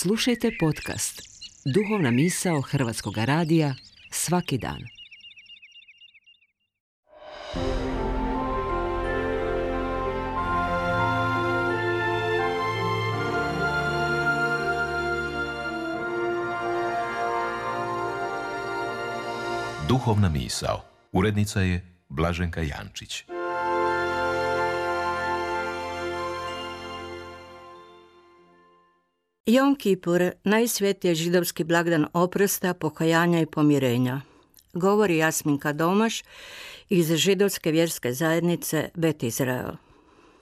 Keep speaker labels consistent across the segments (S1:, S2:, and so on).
S1: Slušajte podcast Duhovna misao Hrvatskog radija svaki dan.
S2: Duhovna misao. Urednica je Blaženka Jančić.
S3: Jom Kipur, najsvetiji je židovski blagdan oprosta, pokajanja i pomirenja. Govori Jasminka Domaš iz židovske vjerske zajednice Bet Izrael.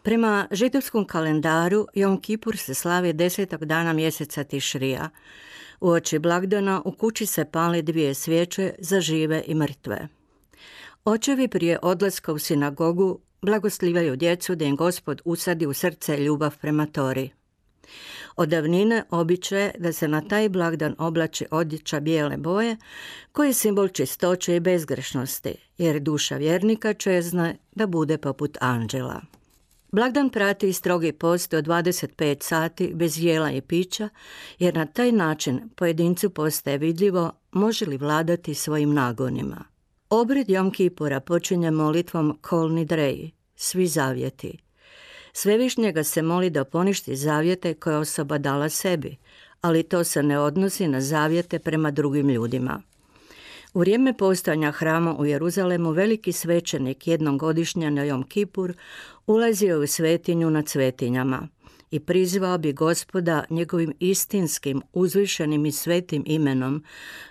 S3: Prema židovskom kalendaru Jom Kipur se slavi 10. dana mjeseca Tišrija. Uoči blagdana u kući se pali 2 svijeće za žive i mrtve. Očevi prije odlaska u sinagogu blagoslivljaju djecu da im Gospod usadi u srce ljubav prema Tori. Od davnine običaj je da se na taj blagdan oblači odjeća bijele boje, koji je simbol čistoće i bezgrešnosti, jer duša vjernika čezne da bude poput anđela. Blagdan prati i strogi post od 25 sati bez jela i pića, jer na taj način pojedincu postaje vidljivo može li vladati svojim nagonima. Obred Jom Kipura počinje molitvom Kol Nidrei, svi zavjeti. Svevišnjega se moli da poništi zavjete koje osoba dala sebi, ali to se ne odnosi na zavjete prema drugim ljudima. U vrijeme postojanja hrama u Jeruzalemu veliki svećenik jednom godišnje na Jom Kipur ulazio u svetinju nad svetinjama i prizvao bi Gospoda njegovim istinskim, uzvišenim i svetim imenom,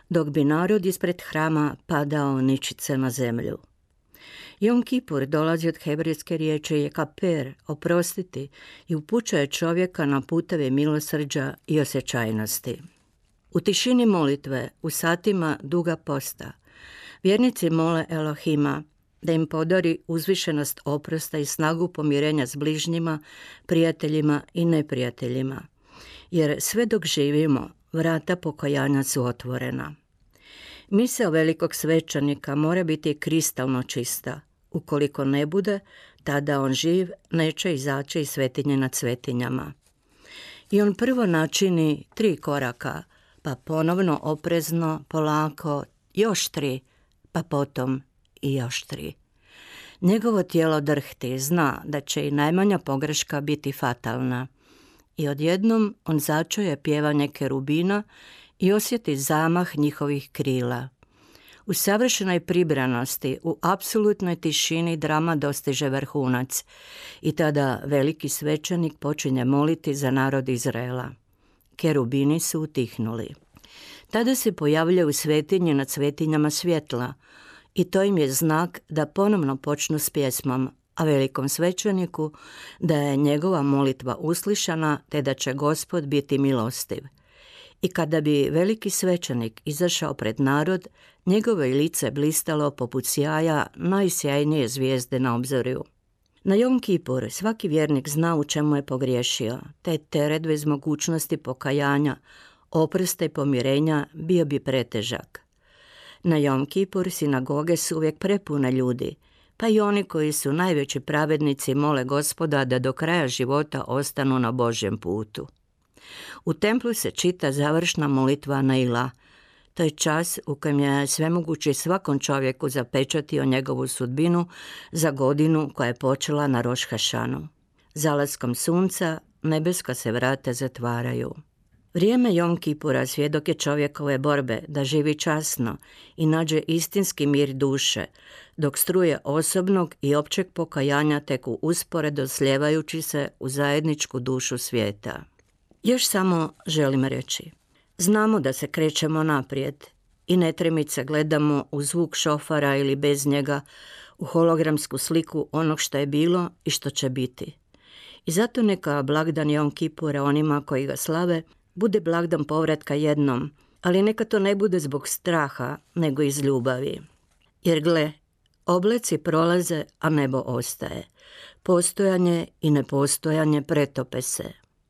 S3: dok bi narod ispred hrama padao ničice na zemlju. Jom Kipur dolazi od hebrejske riječi jekaper, oprostiti, i upućuje čovjeka na puteve milosrđa i osjećajnosti. U tišini molitve, u satima duga posta, vjernici mole Elohima da im podari uzvišenost oprosta i snagu pomirenja s bližnjima, prijateljima i neprijateljima, jer sve dok živimo, vrata pokajanja su otvorena. Misao velikog svećenika mora biti kristalno čista. Ukoliko ne bude, tada on živ neće izaći iz svetinje nad svetinjama. I on prvo načini 3 koraka, pa ponovno oprezno, polako, još 3, pa potom i još 3. Njegovo tijelo drhti, zna da će i najmanja pogreška biti fatalna. I odjednom on začuje pjevanje kerubina i osjeti zamah njihovih krila. U savršenoj pribranosti, u apsolutnoj tišini drama dostiže vrhunac i tada veliki svećenik počinje moliti za narod Izraela. Kerubini su utihnuli. Tada se pojavljaju u svetinji nad svetinjama svjetla i to im je znak da ponovno počnu s pjesmom, a velikom svećeniku da je njegova molitva uslišana te da će Gospod biti milostiv. I kada bi veliki svećenik izašao pred narod, njegovo je lice blistalo poput sjaja najsjajnije zvijezde na obzorju. Na Jom Kipur svaki vjernik zna u čemu je pogriješio, te teret bez mogućnosti pokajanja, oprosta i pomirenja bio bi pretežak. Na Jom Kipur sinagoge su uvijek prepune ljudi, pa i oni koji su najveći pravednici mole Gospoda da do kraja života ostanu na Božjem putu. U templu se čita završna molitva Naila. To je čas u kojem je svemogući svakom čovjeku zapečatio njegovu sudbinu za godinu koja je počela na Roš Hašanu. Zalaskom sunca nebeska se vrata zatvaraju. Vrijeme Jom Kipura svjedok je čovjekove borbe da živi časno i nađe istinski mir duše, dok struje osobnog i općeg pokajanja teku usporedo slijevajući se u zajedničku dušu svijeta. Još samo želim reći, znamo da se krećemo naprijed i netremice gledamo u zvuk šofara ili bez njega, u hologramsku sliku onog što je bilo i što će biti. I zato neka blagdan Jom Kipura onima koji ga slave bude blagdan povratka jednom, ali neka to ne bude zbog straha, nego iz ljubavi. Jer gle, obleci prolaze, a nebo ostaje. Postojanje i nepostojanje pretope se.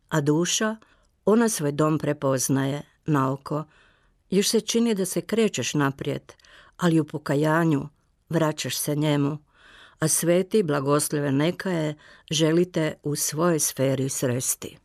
S3: A duša, ona svoj dom prepoznaje, naoko. Još se čini da se krećeš naprijed, ali u pokajanju vraćaš se njemu, a sveti blagoslove neka je želite u svojoj sferi sresti.